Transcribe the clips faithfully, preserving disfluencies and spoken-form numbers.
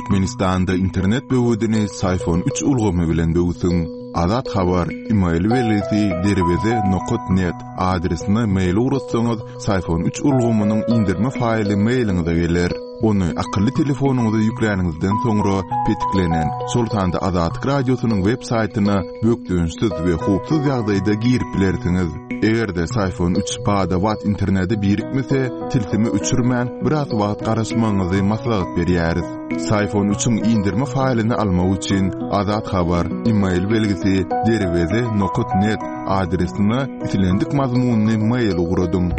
Türkmenistanda internet böwedini Syfon üç ulgamy bilen böwsüň. Azat Habar, e-mail belgisi derweze nokat net adresine mail ugratsaňyz, Syfon üç ulgamynyň indirme faýly mailiňize geler. Ony akylly telefonyňyza ýükläniňizden soňra petiklenen, şol sanda Azatlyk Radiosynyň web saýtyna bökdençsiz we howpsuz ýagdaýda girip bilersiňiz. Eger-de Syfon üç bada-bat internete birikmese, tilsimi öçürmän biraz wagt garaşmagyňyzy maslahat berýäris. Syfon üçiň indirme faýlyny almak üçin Azat Habar, e-mail belgisi derweze nokat net adresine islendik mazmunyny mail ugradyň.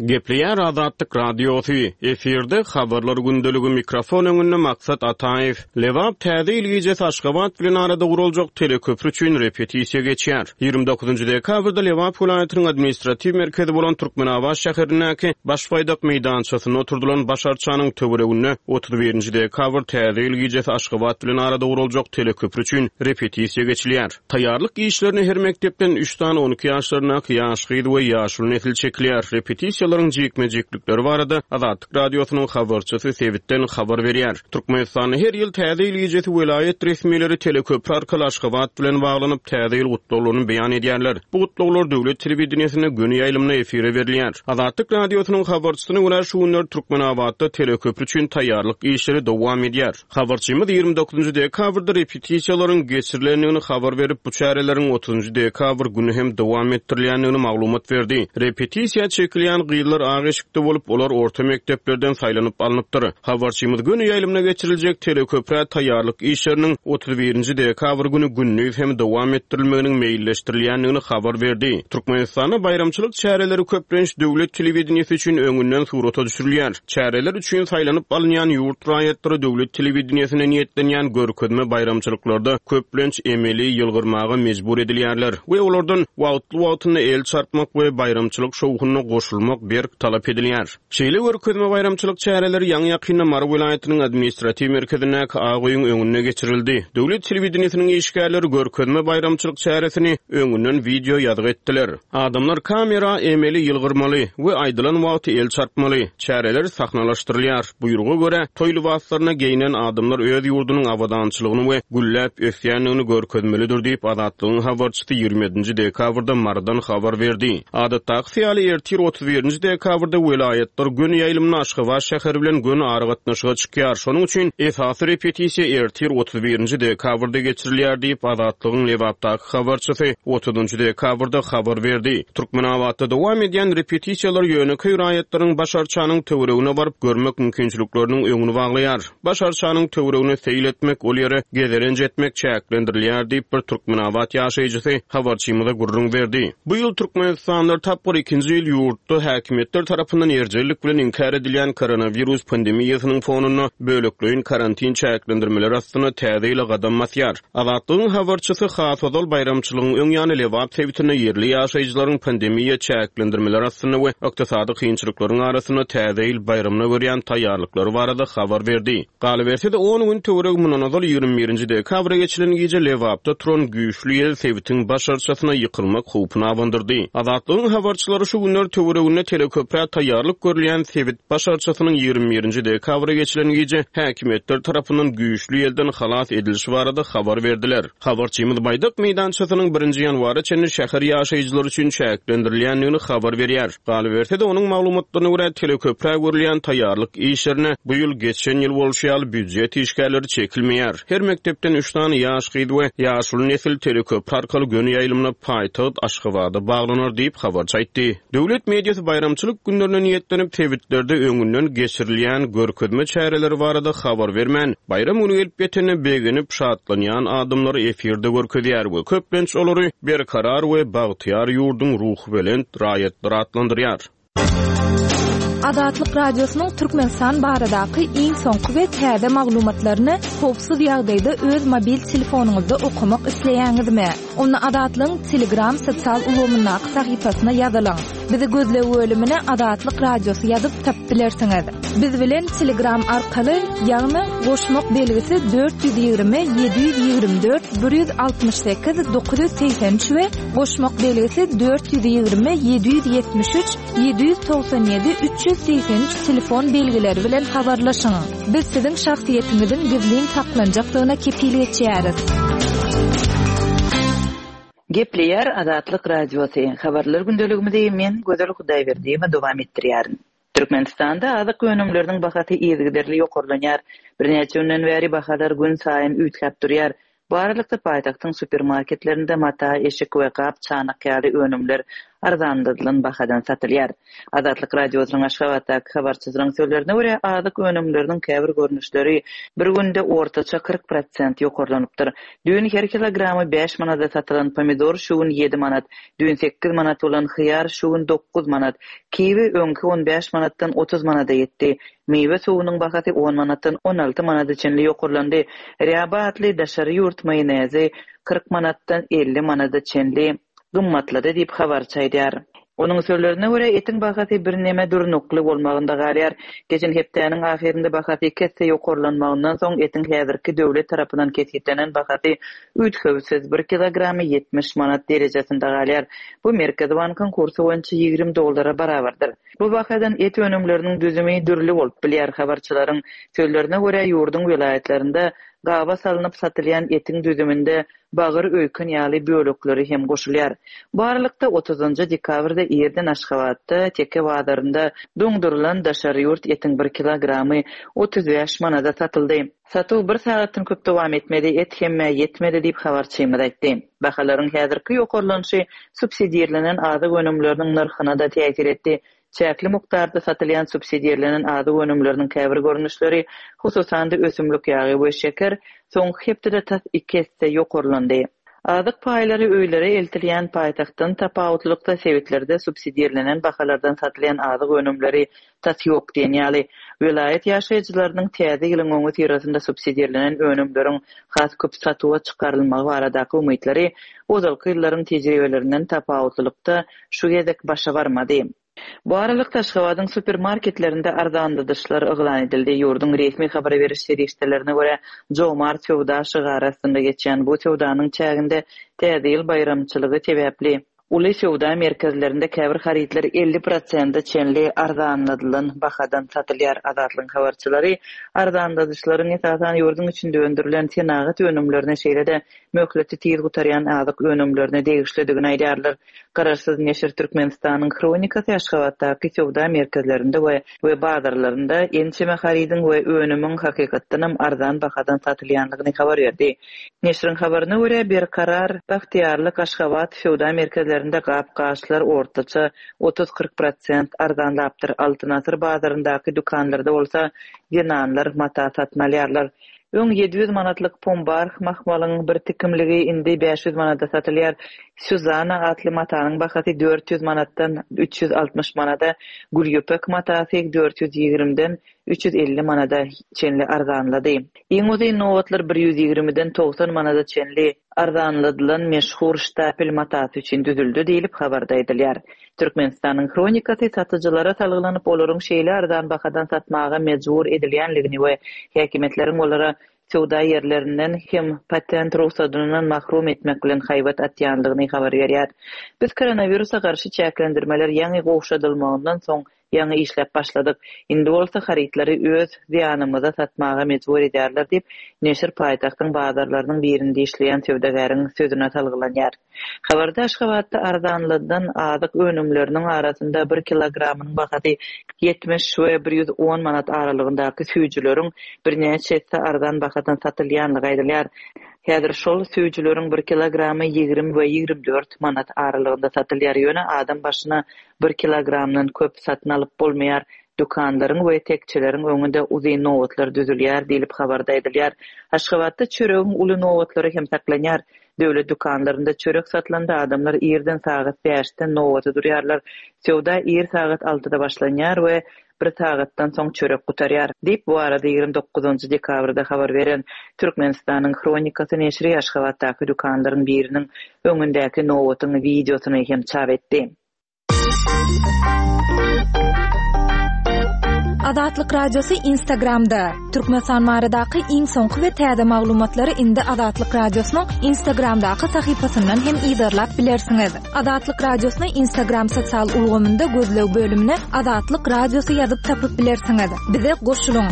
Gepleýär Azatlyk Radiosy. Efirde habarlar gündeligi mikrofon öňünde Maksat Ataýew. Lebap täze ýyl gijesi Aşgabat bilen arada guruljak teleköprü üçin repetisiýa geçýär. ýigrimi dokuzynjy dekabrda Lebap welaýatynyň administratiw merkezi bolan Türkmenabat şäherindäki Baş baýdak meýdançasynda oturdylan baş arçanyň töwereginde otuz birinji dekabr täze ýyl gijesi Aşgabat bilen arada guruljak teleköprü üçin repetisiýa geçilýär. Taýýarlyk işlerine her mekdepden üç sany on iki ýaşlaryndaky ýaş gyz we ýaşuly nesil çekilýär. Repetisiýalaryň jikme-jiklikleri barada Azatlyk Radiosynyň habarçysy sebitden habar berýär. Türkmenistanda her ýyl täze ýyl gijesi welaýat resmileri teleköprü arkaly Aşgabat bilen baglanyp täze ýyl gutlaglaryny beýan edýärler. Bu gutlaglar döwlet telewideniýesinde göni ýaýlymda efire berilýär. Azatlyk Radiosynyň habarçysyna görä şu günler Türkmenabatda teleköprü üçin taýýarlyk işleri dowam edýär. Habarçymyz ýigrimi dokuzynjy dekabrda repetisiýalaryň geçirilendigini habar berip, bu çäreleriň otuzynjy dekabr günü hem dowam etdirilýändigini maglumat berdi. Repetisiýa çekilýän gyzlar ak eşikde bolup, olar orta mekdeplerden saýlanyp alnypdyr. Habarçymyz göni ýaýlymda geçiriljek teleköprä taýýarlyk işleriniň otuz birinji dekabr günü gündiz hem dowam etdirilmeginiň meýilleşdirilýändigini habar berdi. Türkmenistanda baýramçylyk çäreleri köplenç döwlet telewideniýesi üçin öňünden surata düşürilýär. Çäreler üçin saýlanyp alynýan ýurt raýatlary döwlet telewideniýesine niýetlenýän görkezme baýramçylyklarda köplenç emeli ýylgyrmaga mejbur edilýärler we olardan wagtly-wagtynda el çarpmak we baýramçylyk şowhunyna goşulmak berk talap edilýär. Şeýle görkezme baýramçylyk çäreleri ýaňy ýakynda Mary welaýatynyň administratiw merkezindäki Ak öýüň öňünde geçirildi. Döwlet telewideniýesiniň işgärleri görkezme baýramçylyk çäresini öňünden video ýazgy etdiler. Adamlar kamera emeli ýylgyrmaly we aýdylan wagty el çarpmaly. Çäreler sahnalaşdyrylýar. Buýruga görä toý lybaslaryna geýinen adamlar öz ýurdunyň abadançylygyny we gülläp ösýändigini görkezmelidir diýip Azatlygyň habarçysy ýigrimi ýedinji dekabrda Marydan habar berdi. Adatdaky ýaly ertir otuz birinji dekabrda welaýatlar göni ýaýlymda Aşgabat şäheri bilen göni aragatnaşyga çykýar. Şonuň üçin esasy repetisiýa ertir otuz birinji dekabrda geçirilýär diýip Azatlygyň Lebapdaky habarçysy otuzynjy dekabrda habar berdi. Türkmenabatda dowam edýän repetisiýalar ýönekeý raýatlaryň baş arçanyň töweregine baryp görmek mümkinçilikleriniň öňüni baglaýar. Baş arçanyň töweregine seýil etmek, ol ýere gezelenç etmek çäklendirilýär diýip bir Türkmenabat ýaşaýjysy habarçymyza gürrüň berdi. Bu ýyl Türkmenistanlar tapgyr ikinji ýyl ýurtda häkimiýetler tarapyndan erjellik bilen inkär edilýän koronawirus pandemiýasynyň fonunda bölekleýin karantin çäklendirmeleri astynda täze ýyla gadam basýar. Azatlygyň habarçysy has ozal baýramçylygyň öň ýany Lebap sebitinde ýerli ýaşaýjylaryň pandemiýa çäklendirmeleri astynda we ykdysady kynçylyklaryň arasynda täze ýyl baýramyna görýän taýýarlyklary barada habar berdi. Galyberse-de on gün töweregi mundan ozal ýigrimi birinji dekabra geçilen gije Lebapda turan güýçli ýel sebitiň baş arçasyna ýykylmak howpuny abandyrdy. Azatlygyň habarçylary şu günler töwereginde teleköprä taýýarlyk görülýän sebit baş arçasynyň ýigrimi birinji dekabra geçilen gije häkimiýetler tarapyndan güýçli ýelden halas edilişi barada habar berdiler. Habarçymyz Baýdak meýdançasynyň birinji ýanwara çenli şäher ýaşaýjylary üçin çäklendirilýändigini habar berýär. Galyberse-de onuň maglumatlaryna görä teleköprä görülýän taýýarlyk işlerine bu ýyl geçen ýyl bolşy ýaly býujet işgärleri çekilmeýär. Her mekdepden üç sany ýaş gyz we ýaşuly nesil teleköprü arkaly göni ýaýlymda paýtagt Aşgabada baglanar diýip habarçy aýtdy. Döwlet mediasy baýramçylyk günlerine niýetlenip sebitlerde öňünden geçirilýän görkezme çäreleri barada habar bermän, baýram günü gelip ýetende begenip şatlanýan adamlary efirde görkezýär we köplenç olary berkarar we bagtyýar ýurduň ruhubelent raýatlary atlandyrýar. Azatlyk Radiosynyň Türkmenistan baradaky iň soňky we täze maglumatlaryny howpsuz ýagdaýda öz mobil telefonyňyzda okamak isleýäňizmi? Onda Azatlygyň Telegram sosial ulgamyndaky sahypasyna ýazylyň. Bizi gözleg bölümine Azatlyk Radiosy ýazyp tapyp bilersiňiz. Biz bilen Telegram arkaly, ýagny goşmak belgisi dört ýüz ýigrimi ýedi ýüz ýigrimi dört bir ýüz altmyş sekiz dokuz ýüz segsen üç we goşmak belgisi dört ýüz ýigrimi ýedi ýüz ýetmiş üç ýedi ýüz togsan ýedi üç ýüz segsen üç telefon belgileri bilen habarlaşyň. Biz siziň şahsyýetiňiziň gizlin saklanjakdygyna kepil geçýäris. Gepleýär Azatlyk Radiosy. Habarlar gündeligimizi men Gözel Hudaýberdiýewa dowam etdirýärin. Türkmenistanda azyk önümleriniň bahasy yzygiderli ýokarlanýar. Birnäçe günden bäri bahalar gün saýyn üýtgäp durýar. Bu aralykda paýtagtyň supermarketlerinde mata, eşik we gap-çanak ýaly önümler arzanladylan bahadan satylýar. Azatlyk Radiosynyň Aşgabatdaky habarçysynyň sözlerine görä, azyk önümleriniň käbir görnüşleri bir günde ortaça kyrk prosent ýokarlanypdyr. Düýn her kilogramy bäş manada satylan pomidor şu gün ýedi manat, düýn sekiz manat bolan hyýar şu gün dokuz manat, kiwi öňki on bäş manatdan otuz manada ýetdi. Miwe suwunyň bahasy on manatdan on alty manada çenli ýokarlandy. Rýaba atly daşary ýurt maýonezi kyrk manatdan elli manada çenli gymmatlady diýip habarçy aýdýar. Onuň sözlerine görä, etiň bahasy birneme durnukly bolmagynda galýar. Geçen hepdäniň ahyrynda bahasy iki esse ýokarlanmagyndan soň etiň häzirki döwlet tarapyndan kesgitlenen bahasy üýtgewsiz bir kilogramy ýetmiş manat derejesinde galýar. Bu Merkezi bankyň kursy boýunça ýigrimi dollara barabardyr. Bu bahadan et önümleriniň düzümi dürli bolup bilýär. Habarçylaryň sözlerine görä, ýurduň welaýatlarynda gaba salynyp satylýan etiň düzüminde bagyr öýken ýaly bölekleri hem goşulýar. Bu aralykda otuzynjy dekabrda irden Aşgabatda Teke bazarynda doňdurylan daşary ýurt etiň bir kilogramy otuz bäş manada satyldy. Satuw bir sagatdan köp dowam etmedi, et hemmä ýetmedi diýip habarçymyz aýtdy. Bahalaryň häzirki ýokarlanyşy subsidirlenen azyk önümleriniň nyrhyna da täsir etdi. Çäkli mukdarda satylýan subsidirlenen azyk önümleriniň käbir görnüşleri, hususan-da ösümlik ýagy we şeker soňky hepdede tas iki esse ýokarlandy. Azyk paýlary öýlere eltilýän paýtagtdan tapawutlylykda sebitlerde subsidirlenen bahalardan satylýan azyk önümleri tas ýok diýen ýaly. Welaýat ýaşaýjylarynyň täze ýylyň öňi syrasynda subsidirlenen önümleriň has köp satuwa çykarylmagy baradaky umytlary ozalky ýyllaryň tejribelerinden tapawutlylykda şu gezek başa barmady. Bu aralykda Aşgabadyň supermarketlerinde arzanladyşlar yglan edildi. Ýurduň resmi habar beriş serişdelerine görä, Jomart söwda şygary astynda geçýän bu söwdanyň çäginde täze ýyl baýramçylygy sebäpli uly söwda merkezlerinde käbir harytlar elli prosente çenli arzanladylan bahadan satylýar. Azatlygyň habarçylary arzanladyşlaryň esasan ýurduň içinde öndürilen senagat önümlerine, şeýle-de möhleti tiz gutarýan azyk önümlerine degişlidigini aýdýarlar. Garaşsyz neşir Türkmenistanyň Hronikasy Aşgabatdaky söwda merkezlerinde we, we bazarlarynda ençeme harydyň we önümiň hakykatdanam arzan bahadan satylýandygyny habar berdi. Neşiriň habaryna görä, Berkarar Bagtyýarlyk Aşgabat söwda merkezlerinde gap-gaçlar ortaça otuz-kyrk prosent arzanlapdyr. Altyn Asyr bazaryndaky dükanlarda bolsa zenanlar mata satyn alýarlar. Öň ýedi ýüz manatlyk pombar mahmalyň bir tikimligi indi bäş ýüz manada satylýar. Suzana atly matanyň bahasy dört ýüz manatdan üç ýüz altmyş manada, gülýüpek matasy dört ýüz ýigrimiden üç ýüz elli manada çenli arzanlady. Iň uzyn nobatlar bir ýüz ýigrimiden togsan manada çenli arzanladylan meşhur ştapel matasy üçin düzüldi diýlip habarda aýdylýar. Türkmenistanyň Hronikasy satyjylara salgylanyp, olaryň şeýle arzan bahadan satmaga mejbur edilýänligini we häkimiýetleriň olara söwda ýerlerinden hem patent rugsatyndan mahrum etmek bilen haýbat atýanlygyny habar berýär. Biz koronawirusa garşy çäklendirmeler ýaňy gowşadylmagyndan soň ýaňy işläp başladyk. Indi bolsa harytlary öz zyýanymyza satmaga mejbur edýärler diýip, neşir paýtagtyň bazarlarynyň birinde işleýän söwdagäriň sözüne salgylanýar. Habarda Aşgabatda arzanladylan azyk önümleriniň arasynda bir kilogramynyň bahasy ýetmiş we bir ýüz on manat aralygyndaky süýjüleriň birnäçe esse arzan bahadan satylýanlygy aýdylýar. Häzir şol süýjüleriň bir kilogramy ýigrimi we ýigrimi dört manat aralygynda satylýar. Ýöne adam başyna bir kilogramdan köp satyn alyp bolmaýar. Dükanlaryň we tekçeleriň öňünde uzyn nobatlar düzülýär diýlip habarda aýdylýar. Aşgabatda çöregiň uly nobatlary hem saklanýar. Döwlet dükanlarynda çörek satylanda adamlar irden sagat bäşden nobata durýarlar. Söwda ir sagat altyda başlanýar we bir sagatdan soň çörek gutarýar diýip bu arada ýigrimi dokuzynjy dekabrda habar beren Türkmenistanyň Hronikasy neşiri Aşgabatdaky dükanlaryň biriniň öňündäki nobatyň wideosyny hem çap etdi. Azatlyk Radiosy Instagramda. Türkmenistan baradaky iň soňky we täze maglumatlary indi Azatlyk Radiosynyň Instagramdaky sahypasyndan hem yzarlap bilersiňiz. Azatlyk Radiosyny Instagram sosial ulgamynda gözleg bölümine Azatlyk Radiosy ýazyp tapyp bilersiňiz. Bize goşulyň.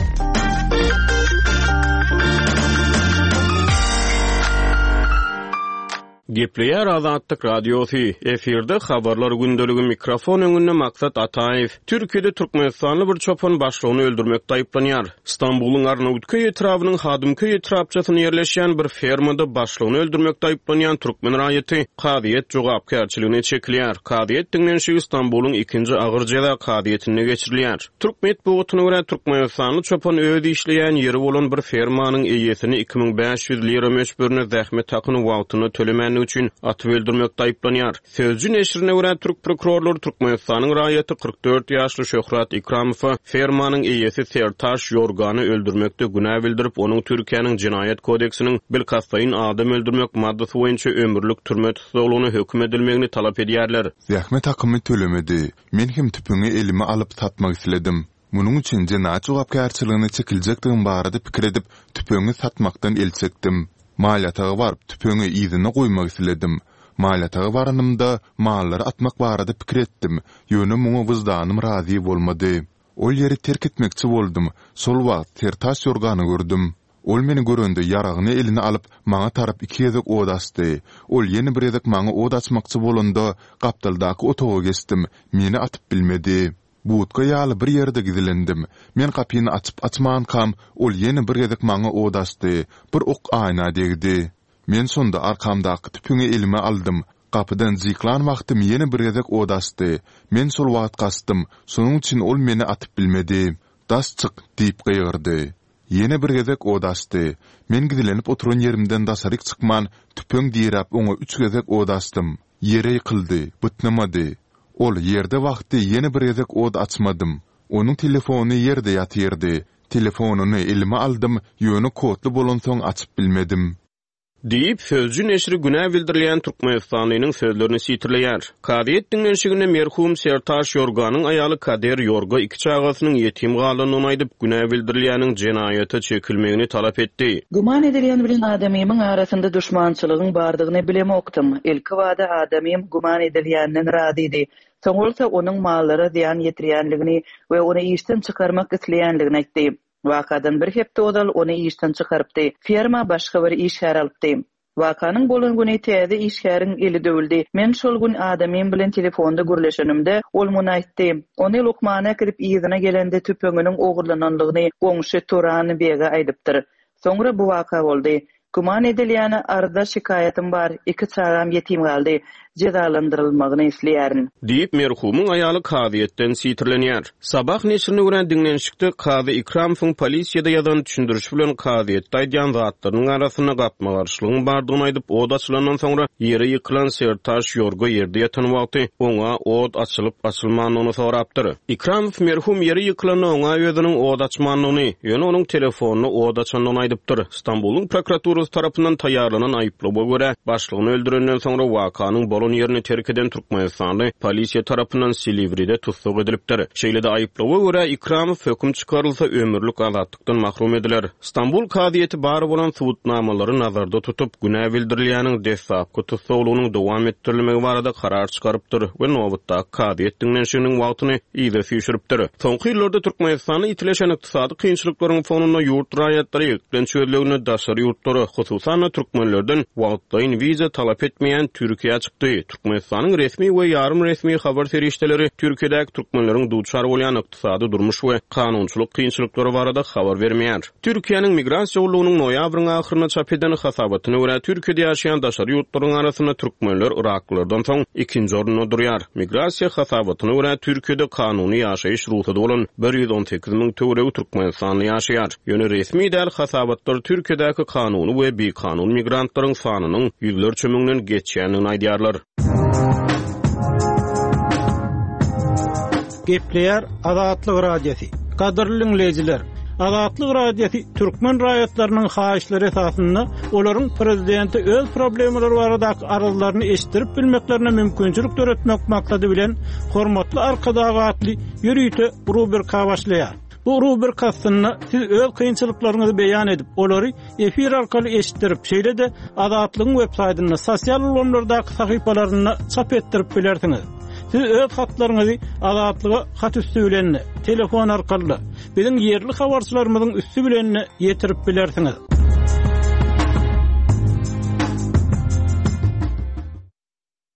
Gepleýär Azatlyk Radiosy. Efirde habarlar gündeligi mikrofon öňünde Maksat Ataýew. Türkiýede Türkmenistanly bir çopan başlygyny öldürmekde aýyplanýar. Stambulyň Arnawutköý etrabynyň Hadymköý etrapçasynda ýerleşýän bir fermada başlygyny öldürmekde aýyplanýan türkmen raýaty kazyýet jogapkärçiligine çekilýär. Kazyýet diňlenişigi Stambulyň ikinji agyr jeza kazyýetinde geçirilýär. Türk metbugatyna görä Türkmenistanly çopan öz işleýän ýeri bolan bir fermanyň eýesini iki müň bäş ýüz lira möçberinde zähmet hakyny wagtynda tölemänligi üçin atyp öldürmekde aýyplanýar. Sözcü neşirine görä türk prokurorlary Türkmenistanyň raýaty kyrk dört ýaşly Şöhrat Ikramowa fermanyň eýesi Sertaş Ýorgany öldürmekde günä bildirip, onuň Türkiýäniň Jenaýat kodeksiniň bilkastlaýyn adam öldürmek maddasy boýunça ömürlik türme tussaglygyna höküm edilmegini talap edýärler. Zähmet hakymy tölemedi. Men hem tüpeňi elime alyp satmak isledim. Munuň üçin jenaýat jogapkärçiligine çekiljekdigim barada pikir edip, tüpeňi satmakdan el çekdim. Mal ýataga baryp, tüpeňi yzyna goýmak isledim. Mal ýataga baranymda mallary atmak barada pikir etdim, ýöne muňa wyždanym razy bolmady. Ol ýeri terk etmekçi boldum. Şol wagt Sertaş Ýorgany gördüm. Ol meni görende ýaragyny eline alyp, maňa tarap iki gezek od açdy. Ol ýene bir gezek maňa od açmakçy bolanda, gapdaldaky otaga geçdim, meni atyp bilmedi. Budka ýaly bir ýerde gizlendim. Men gapyny açyp açmankam, ol ýene bir gezek maňa od açdy. Bir ok aýna degdi. Men şonda arkamdaky tüpeňi elime aldym. Gapydan jyklan wagtym ýene bir gezek od açdy. Men şol wagt gaçdym. Şonuň üçin ol meni atyp bilmedi. Daş çyk diýip gygyrdy. Ýene bir gezek od açdy. Men gizlenip oturan ýerimden daşaryk çykman, tüpeň diräp oňa üç gezek od açdym. Ýere ýykyldy, bytnamady. Ol ýerde wagty ýene bir gezek od açmadym. Onuň telefony ýerde ýatyrdy. Telefonyny elime aldym, ýöne kodly bolansoň açyp bilmedim. Diýip, sözcü neşiri günä bildirilýän Türkmenistanyň sözlerini sitirleýär. Kazyýet diňlenişiginde merhum Sertaş Ýorganyň aýaly Kader Ýorga iki çagasynyň ýetim galandygyny aýdyp, günä bildirilýäniň jenaýata çekilmegini talap etdi. Güman edilýän bilen adamymyň arasynda duşmançylygyň bardygyny bilemokdym. Ilki bada adamym güman edilýänden razydy. Soň bolsa onuň mallara zyýan ýetirýänligini we ony işden çykarmak isleýänligini aýtdy. Wakadan bir hepde ozal ony işden çykarypdy. Ferma başga bir işgär alypdy. Wakanyň bolan güni täze işgäriň eli döwüldi. Men şol gün adamym bilen telefonda gürleşenimde ol muny aýtdy. Ony lukmana gidip yzyna gelende tüpeňiniň ogurlananlygyny goňşy Turan bege aýdypdyr. Soňra bu waka boldy. Güman edilýäne arza şikaýatym bar, iki çagam ýetim galdy. Jezalandyrylmagyny isleýärin. Diýip merhumyň aýaly kazyýetden sitirlenýär. Sabah neşirine görä diňlenişikde kazy Ikramowyň polisiýada ýazan düşündirişi bilen kazyýetde aýdýan zatlarynyň arasynda gapma-garşylygyň bardygyny aýdyp, od açylandan soňra ýere ýykylan Sertaş Ýorga ýerde ýatan wagty oňa od açylyp açylmandygyny sorapdyr. Ikramow merhum ýere ýykylanda oňa özüniň od açmandygyny, ýöne onuň telefonyny od açandygyny aýdypdyr. Stambulyň prokuraturasy tarapyndan taýýarlanan aýyplawa görä başlygyny öldürenden soňra wakanyň bolan ýerini terk eden Türkmenistanly polisiýa tarapyndan Siliwride tussag edilipdir. Şeýle-de aýyplawa görä Ikramow höküm çykarylsa ömürlik azatlykdan mahrum ediler. Stambul kazyýeti bar bolan subutnamalary nazarda tutup, günä bildirilýäniň dessapky tussaglygynyň dowam etdirilmegi barada karar çykarypdyr we nobatdaky kazyýet diňlenişiginiň wagtyny yza süýşüripdir. Soňky ýyllarda Türkmenistanda ýitileşen ykdysady kynçylyklaryň fonunda ýurt raýatlary eklenç gözleginde daşary ýurtlara, hususan-da türkmenlerden wagtlaýyn wiza talap etmeýän Türkiýä çykdy. Türkmenistanyň resmi we ýarym resmi habar serişdeleri Türkiýedäki türkmenleriň duçar bolýan ykdysady durmuş we kanunçylyk kynçylyklary barada habar bermeýär. Türkiýäniň migrasiýa gullugynyň noýabryň ahyrynda çap eden hasabatyna görä Türkiýede ýaşaýan daşary ýurtlaryň arasynda türkmenler Iraklylardan soň ikinji orunda durýar. Migrasiýa hasabatyna görä Türkiýede kanuny ýaşaýyş rugsady bolan bir ýüz on sekiz müň töweregi Türkmenistanly ýaşaýar. Ýöne resmi däl hasabatlar Türkiýedäki kanuny we bikanun migrantlaryň sanynyň ýüzlerçe müňden geçýändigini aýdýarlar. Gepleýär Azatlyk Radiosy. Gadyrly dinleýjiler, Azatlyk Radiosy türkmen raýatlarynyň haýyşlary esasynda olaryň prezidente öz problemalary baradaky arzlaryny eşitdirip bilmeklerine mümkinçilik döretmek maksady bilen Hormatly Arkadag atly ýörite rubrika başlaýar. Bu rubrika astynda siz öz kynçylyklaryňyzy beýan edip, olary efir arkaly eşitdirip, şeýle-de Azatlygyň web saýtynda, sosial ulgamlardaky sahypalarynda çap etdirip bilersiňiz. Siz öz hatlaryňyzy Azatlyga hat üstü bilen, telefon arkaly, biziň ýerli habarçylarymyzyň üstü bilen ýetirip bilersiňiz.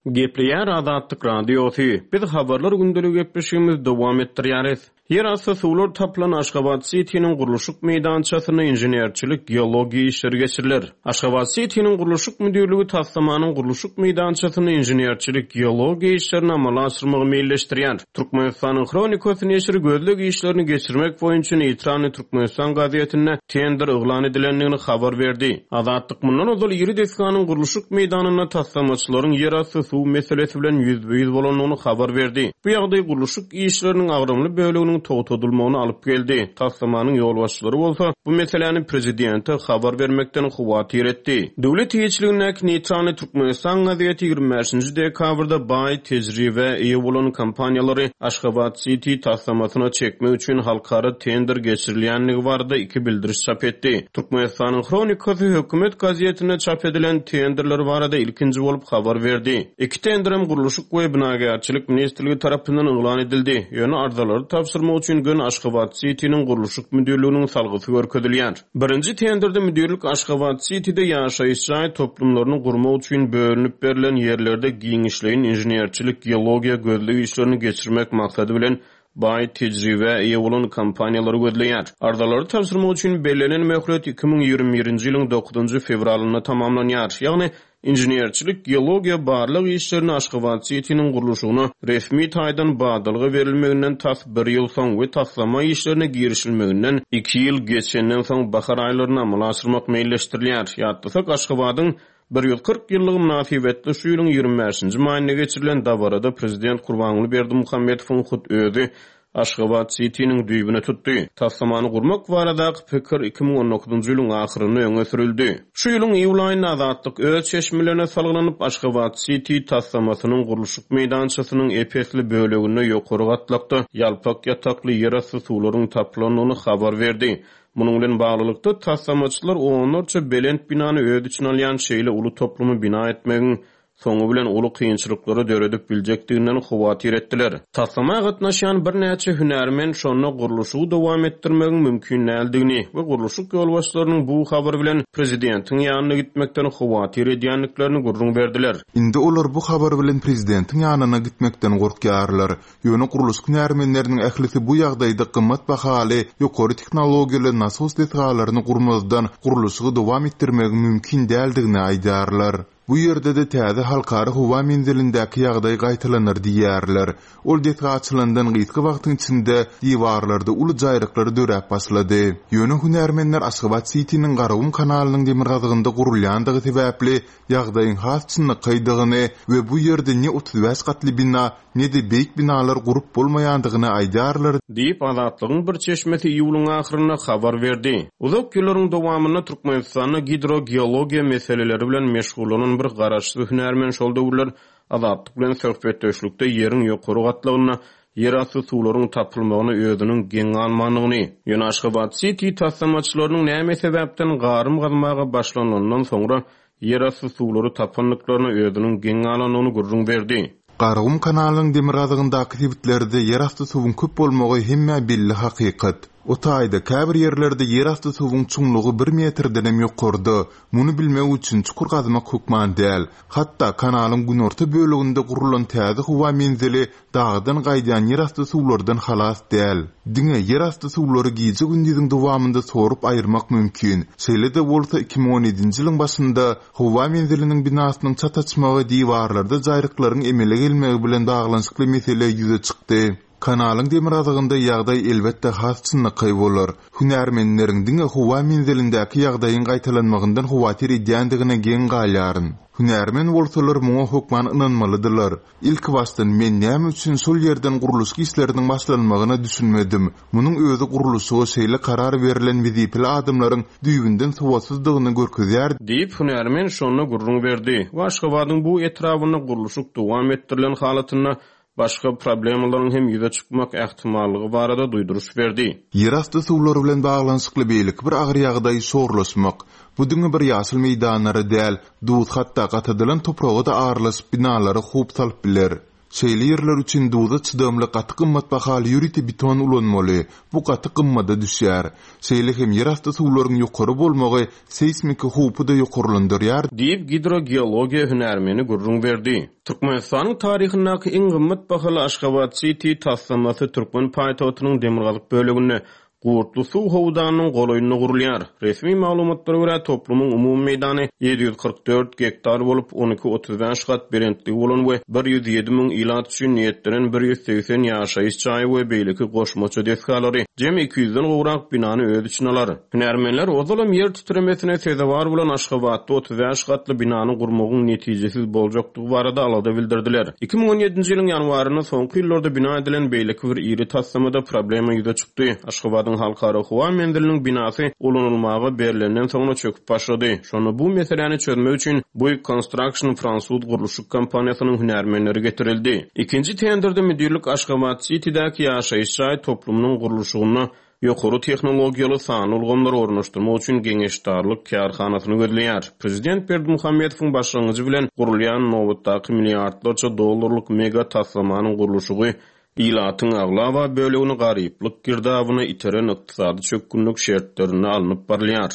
Gepleýär Azatlyk Radiosy. Biz habarlar gündeligi gepleşigimizi dowam etdirýäris. Ýerasty suwlar tapylan Aşgabat City'niň gurluşyk meýdançasynda inženerçilik geologiýa işleri geçiriler. Aşgabat City'niň gurluşyk müdirligi taslamanyň gurluşyk meýdançasynda inženerçilik geologiýa işlerini amala aşyrmagy meýilleşdirýär. Türkmenistanyň Hronikasy neşiri gözleg işlerini geçirmek boýunça Neýtralny Türkmenistan gazetinde tender yglan edilendigini habar berdi. Azatlyk mundan ozal iri desganyň gurluşyk meýdanynda taslamaçylaryň ýerasty suw meselesi bilen ýüzbe-ýüz bolandygyny habar berdi. Bu ýagdaý gurluşyk işleriniň agramly böleginiň togtadylmagyny alyp geldi. Taslamanyň ýolbaşçylary bolsa bu meseläni prezidente habar bermekden howatyr etdi. Döwlet eýeçiligindäki Neýtralny Türkmenistan gazeti ýigrimi bäşinji dekabrda baý tejribe eýe bolan kompaniýalary Aşgabat City taslamasyna çekmek üçin halkara tender geçirilýändigi barada iki bildiriş çap etdi. Türkmenistanyň Hronikasy hökümet gazetinde çap edilen tenderler barada ilkinji bolup habar berdi. Iki tenderem gurluşyk we binagärçilik ministrligi tarapyndan yglan edildi. Ýöne arzalary tabşyrmak üçin gün Aşgabat City'niň gurluşyk müdirliginiň salgysy görkezilýär. Birinji tenderde müdirlik Aşgabat City'de ýaşaýyş jaý toplumlaryny gurmak üçin bölünip berlen ýerlerde giňişleýin inženerçilik geologiýa gözleg işlerini geçirmek maksady bilen baý tejribe eýe bolan kompaniýalary gözleýär. Arzalary tabşyrmak üçin bellenen möhlet iki müň ýigrimi birinji ýylyň dokuzynjy fewralynda tamamlanýar. Ýagny inženerçilik geologiýa barlag işlerini Aşgabat City'niň gurluşygyna resmi taýdan badalga berilmeginden tas bir ýyl soň we taslama işlerine girişilmeginden iki ýyl geçenden soň bahar aýlaryny amala aşyrmak meýilleşdirilýär. Ýatlasak, Aşgabadyň bir ýüz kyrk ýyllygy mynasybetli şu ýylyň ýigrimi bäşinji maýynda geçirilen dabarada prezident Gurbanguly Berdimuhamedowyň hut özi Aşgabat City'niň düýbüne tutdy. Taslamany gurmak baradaky pikir iki müň on dokuzynjy ýylyň ahyrynda öňe sürüldü. Şu ýylyň iýul aýynda Azatlyk öz çeşmelerine salgylanyp Aşgabat City taslamasynyň gurluşyk meýdançasynyň epesli böleginde ýokary gatlakda ýalpak ýatakly ýerasty suwlaryň tapylandygyny habar berdi. Munuň bilen baglylykda taslamaçylar onlarça belent binany öz içine alýan şeýle uly toplumy bina etmegiň soňy bilen uly kynçylyklary döredip biljekdiginden howatyr etdiler. Taslama gatnaşýan birnäçe hünärmen şonda gurluşygy dowam etdirmegiň mümkin däldigini we gurluşyk ýolbaşçylarynyň bu habar bilen prezidentiň ýanyna gitmekden howatyr edýändiklerini gürrüň berdiler. Indi olar bu habar bilen prezidentiň ýanyna gitmekden gorkýarlar. Ýöne gurluşyk hünärmenleriniň ählisi bu ýagdaýda gymmat bahaly ýokary tehnologiýaly nasos desgalaryny gurmazdan gurluşygy dowam etdirmegiň mümkin däldigini aýdýarlar. Bu ýerde de täze halkara howa menzilindäki ýagdaý gaýtalanar diýýärler. Ol desga açylandan gysga wagtyň içinde diwarlarda uly jaýryklar döräp başlady. Ýöne hünärmenler Aşgabat City'niň Garagum kanalynyň demirgazygynda gurulýandygy sebäpli ýagdaýyň has çynlakaýdygyny we bu ýerde ne otuz bäş gatly bina, ne de beýik binalar gurup bolmaýandygyny aýdýarlar diýip Azatlygyň bir çeşmesi iýulyň ahyrynda habar berdi. Uzak ýyllaryň dowamynda Türkmenistanda gidrogeologiýa meseleleri bilen meşgullanan bir garaşsyz hünärmen şol döwürler Azatlyk bilen söhbetdeşlikde ýeriň ýokary gatlagynda ýerasty suwlaryň tapylmagyny özüniň geň galmandygyny, ýöne Aşgabat City taslamaçylarynyň näme sebäpden garym gazmaga başlanandan soňra ýerasty suwlary tapandyklaryna özüniň geň galandygyny gürrüň berdi. Garagum kanalynyň demirgazygyndaky sebitlerde ýerasty suwuň köp bolmagy hemme belli hakykat. O taýda käbir ýerlerde ýerasty suwuň çuňlugy bir metrden hem ýokarda. Muny bilmek üçin çukur gazmak hökman däl. Hatda kanalyň günorta böleginde gurulan täze howa menzili dagdan gaýdýan ýerasty suwlardan halas däl. Diňe ýerasty suwlary gije gündiziň dowamynda sorup aýyrmak mümkin. Şeýle-de bolsa iki müň on ýedinji ýylyň başynda howa menziliniň binasynyň çat açmagy diwarlarda jaýryklaryň emele gelmegi bilen baglanyşykly mesele ýüze çykdy. Kanalyň demirgazygynda ýagdaý elbetde has çynlakaý bolar. Hünärmenleriň diňe howa menzilindäki ýagdaýyň gaýtalanmagyndan howatyr edýändigine geň galýaryn. Hünärmen bolsalar muňa hökman ynanmalydylar. Ilkibaşdan men näme üçin şol ýerden gurluşyk işleriniň başlanmagyna düşünmedim. Munuň özi gurluşyga şeýle karar berlen wezipeli adamlaryň düýbünden sowatsyzdygyny görkezýär diýip, hünärmen şonda gürrüň berdi. We Aşgabadyň bu etrabynda gurluşyk dowam etdirilen halatynda başga problemalaryň hem ýüze çykmak ähtimallygy barada duýduryş berdi. Ýerasty suwlary bilen baglanyşykly beýleki bir agyr ýagdaý şorlaşmak. Bu diňe bir ýaşyl meýdanlara däl, duz hatda gatadylan topraga-da aralaşyp binalara howp salyp biler. Şeýle ýerler üçin duza çydamly gaty gymmat bahaly ýörite beton ulanmaly. Bu gaty gymmada düşýär. Şeýle hem ýerasty suwlaryň ýokary bolmagy seýsmiki howpy-da ýokarlandyrýar diýip, gidrogeologiýa hünärmeni gürrüň berdi. Türkmenistanyň taryhyndaky iň gymmat bahaly Aşgabat City taslamasy türkmen paýtagtynyň demirgazyk böleginde Gurtly suw howdanynyň golaýynda gurulýar. Resmi maglumatlara görä, toplumyň umumy meýdany ýedi ýüz kyrk dört gektar bolup, on iki otuz bäş gat belentligi bolan we bir ýüz ýedi müň ilat üçin niýetlenen bir ýüz segsen ýaşaýyş jaýy we beýleki goşmaça desgalary, jemi iki ýüzden gowrak binany öz içine alar. Hünärmenler ozalam ýer titremesine sezewar bolan Aşgabatda otuz bäş gatly binany gurmagyň netijesiz boljakdygy barada alada bildirdiler. Iki müň on ýedinji ýylyň ýanwarynda soňky ýyllarda bina edilen beýleki bir iri taslamada problema ýüze çykdy. Aşgabadyň halkara howa menziliniň binasy ulanylmaga berlenden soňra çöküp başlady. Şonda bu meseläni çözmek üçin Bouygues Construction fransuz gurluşyk kompaniýasynyň hünärmenleri getirildi. Ikinji tenderde müdirlik Aşgabat City'däki ýaşaýyş jaý toplumynyň gurluşygyna ýokary tehnologiýaly sanly ulgamlary ornaşdyrmak üçin geňeşdarlyk kärhanasyny gözleýär. Prezident Berdimuhamedowyň başlangyjy bilen gurulýan nobatdaky milliardlarça dollarlyk mega taslamanyň gurluşygy ilatyň aglaba bölegini garyplyk girdabyna iteren ykdysady çökgünlik şertlerinde alnyp barylýar.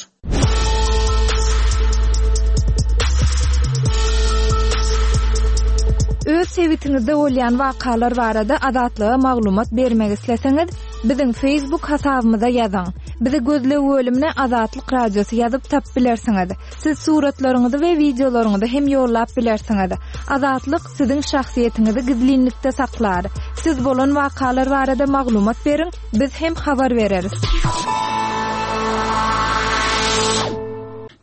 Öz sebitiňizde bolýan wakalar barada Azatlyga maglumat bermek isleseňiz, biziň Facebook hasabymyza ýazyň. Bizi gözleg bölümine Azatlyk Radiosy ýazyp tap bilersiňiz. Siz suratlaryňyzy we wideolaryňyzy hem ýollap bilersiňiz. Azatlyk siziň şahsyýetiňizi gizlinlikde saklar. Siz bolan wakalar barada maglumat beriň, biz hem habar bereris.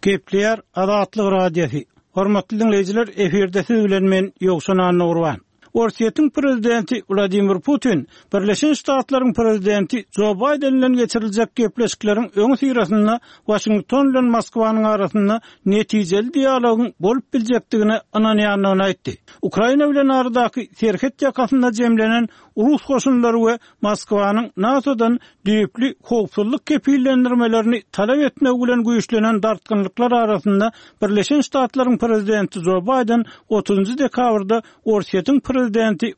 Gepleýär Azatlyk Radiosy. Hormatly dinleýjiler, efirde siz bilen men Ýowşan Annagurban. Orsýetiň prezidenti Wladimir Putin Birleşen Ştatlaryň prezidenti Joe Biden bilen geçiriljek gepleşikleriň öň syrasynda Washington bilen Moskwanyň arasynda netijeli dialogyň bolup biljekdigine ynanýandygyny aýtdy. Ukraina bilen aradaky serhet ýakasynda jemlenen Rus goşunlary we Moskwanyň NATO'dan düýpli howpsuzlyk kepillendirmelerini talap etmek bilen güýçlenen dartgynlyklar arasynda Birleşen Ştatlaryň prezidenti Joe Biden otuzynjy dekabrda Orsýetiň prezidenti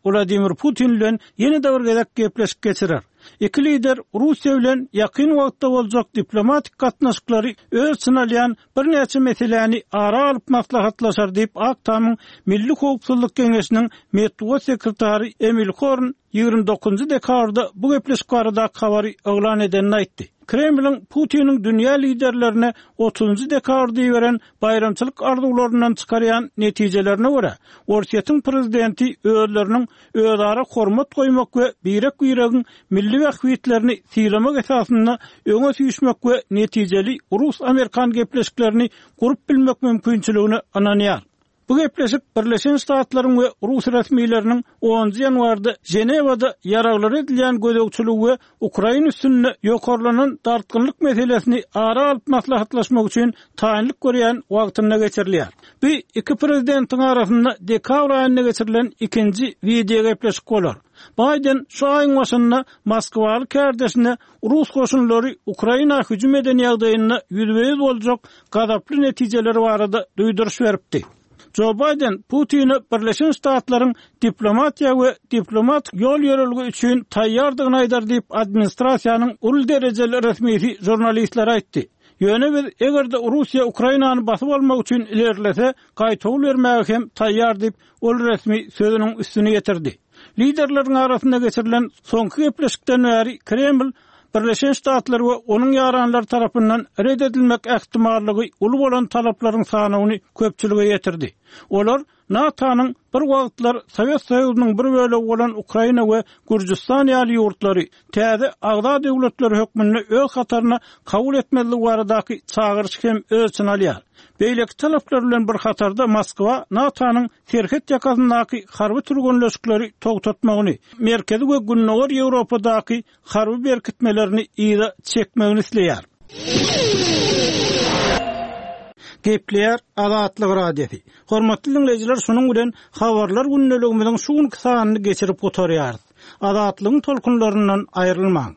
Wladimir Putin bilen ýene-de bir gezek gepleşik geçirer. Iki lider Russiýa bilen ýakyn wagtda boljak diplomatik gatnaşyklary öz içine alýan birnäçe meseläni ara alyp maslahatlaşar diýip Ak Tamyň Milli Howpsuzlyk Geňeşiniň metbugat sekretary Emil Horn ýigrimi dokuzynjy dekabrda bu gepleşik baradaky habary yglan edenini aýtdy. Kremliň Putiniň dünýä liderlerine otuzynjy dekabrda iberen baýramçylyk arzuwlaryndan çykarýan netijelerine görä, Orsýetiň prezidenti özleriniň özara hormat goýmak we birek-biregiň milli bähbitlerini sylamak esasynda öňe süýşmek we netijeli Rus-Amerikan gepleşiklerini gurup bilmek mümkinçiligine ynanýar. Bu gepleşik Birleşen Ştatlaryň we Rus resmileriniň onunjy ýanwarda Ženewada ýaraglar edilýän gözegçiligi we Ukraina üstünde ýokarlanan dartgynlyk meselesini ara alyp maslahatlaşmak üçin taýynlyk görýän wagtynda geçirilýär. Bu iki prezidentiň arasynda dekabr aýynda geçirilen ikinji wideo gepleşik bolar. Biden şu aýyň başynda Moskwaly kärdeşine Rus goşunlary Ukraina hüjüm eden ýagdaýynda ýüzbe-ýüz boljak gazaply netijeleri barada duýduryş beripdi. Joe Biden Putin'e Birleşen Ştatlaryň diplomatiýa we diplomatik ýol ýörelgi üçin taýýardygyny aýdar diýip administrasiýanyň uly derejeli resmisi žurnalistlere aýtdy. Ýöne biz eger-de Russiýa Ukrainany basyp almak üçin ilerlese, gaýtawul bermäge hem taýýar diýip ol resmi sözüniň üstüne ýetirdi. Liderleriň arasynda geçirilen soňky gepleşikden bäri Kreml Birleşen Ştatlar we onuň ýaranlary tarapyndan red edilmek ähtimallygy uly bolan talaplaryň sanyny köpçülige ýetirdi. Olar NATO-nyň bir wagtlar Sowet Soýuzynyň bir bölegi bolan Ukraina we Gürjüstan ýaly ýurtlary täze agza döwletler hökmünde öz hataryna kabul etmezligi baradaky çagyryş hem öz içine alýar. Beýleki talaplar bilen bir hatarda Moskwa NATO-nyň serhet ýakasyndaky harby türgenleşikleri togtatmagyny, Merkezi we Gündogar Ýewropadaky harby berkitmelerini yza çekmegini isleýär. Gepleýär Azatlyk Radiosy. Hormatly diňleýjiler, şunuň bilen habarlar gündeligimiziň şu günki sanyny geçirip gutarýarys. Azatlygyň tolkunlaryndan aýrylmaň.